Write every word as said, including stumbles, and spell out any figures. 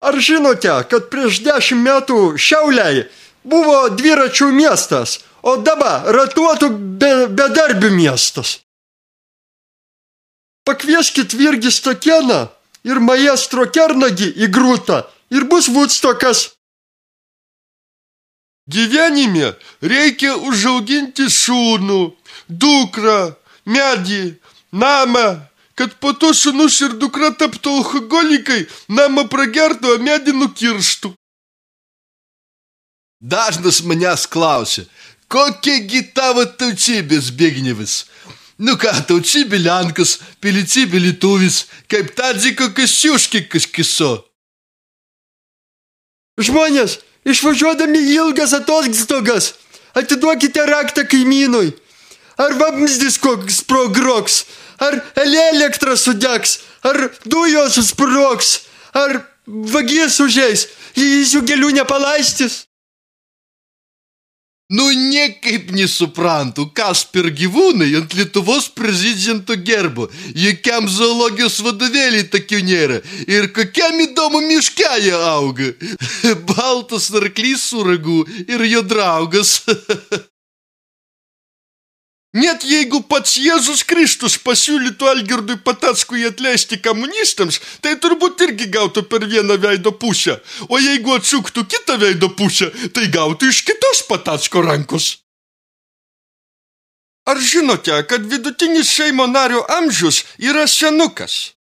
Ar žinote, kad prieš dešimt metų Šiauliai buvo dviračių miestas, o dabar ratuotų be, bedarbių miestas? Pakvieskit Virgį Stokėną ir maestro Kernagį į Grūtą ir bus Vudstokas. Gyvenime reikia užauginti šūnų, dukrą, medį, namą, kad po to šunus ir dukra taptų alkoholikai, namą pragertų, o medį nukirštų. Dažnas manęs klausia, kokiagi tavo tautybės Zbignievis? Nu ką, tautybė Lenkas, pilietybė lietuvis, kaip Tadziko Kasiuški kažkiso. Žmonės, išvažiuodami į ilgas atostogas, atiduokite raktą kaimynui. Ar vamzdis koks sprogroks, ar elektra sudegs, ar dujos sprogs, ar vagis užeis, jis jų gėlių nepalaistys. Nu, niekaip nesuprantu, kas per gyvūnai ant Lietuvos prezidento gerbo, jokiam zoologijos vadovėlį tokių nėra ir kokiam įdomu miške jie auga. Baltas arklys su ragu ir jo draugas. Net jeigu pats Jėzus Kristus pasiūlytų Algirdui Patackui atleisti komunistams, tai turbūt irgi gautų per vieną veido pusę. O jeigu atsuktų kitą veido pusę, tai gautų iš kitos Patacko rankos. Ar žinote, kad vidutinis Seimo nario amžius yra senukas?